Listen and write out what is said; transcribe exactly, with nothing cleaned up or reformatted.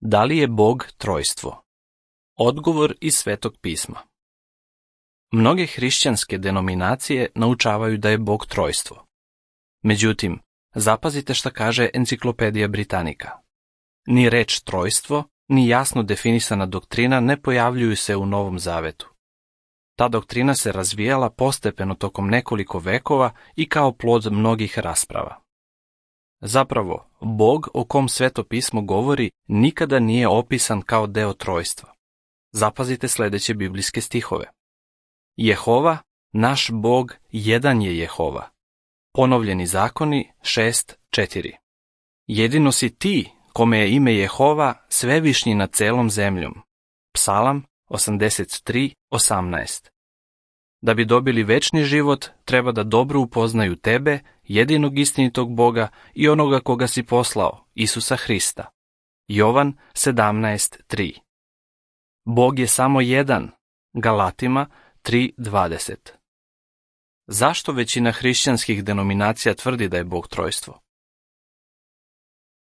Da li je Bog trojstvo? Odgovor iz Svetog pisma. Mnoge hrišćanske denominacije naučavaju da je Bog trojstvo. Međutim, zapazite šta kaže Enciklopedija Britanika. Ni reč trojstvo, ni jasno definisana doktrina ne pojavljuju se u Novom Zavetu. Ta doktrina se razvijala postepeno tokom nekoliko vekova i kao plod mnogih rasprava. Zapravo, Bog o kom Sveto pismo govori nikada nije opisan kao deo trojstva. Zapazite sljedeće biblijske stihove. Jehova, naš Bog, jedan je Jehova. Ponovljeni zakoni šest četiri. Jedino si ti, kome je ime Jehova, svevišnji nad celom zemljom. Psalam osamdeset tri osamnaest. Da bi dobili večni život, treba da dobro upoznaju tebe, jedinog istinitog Boga i onoga koga si poslao, Isusa Hrista. Jovan sedamnaest tri. Bog je samo jedan. Galatima tri dvadeset. Zašto većina hrišćanskih denominacija tvrdi da je Bog trojstvo?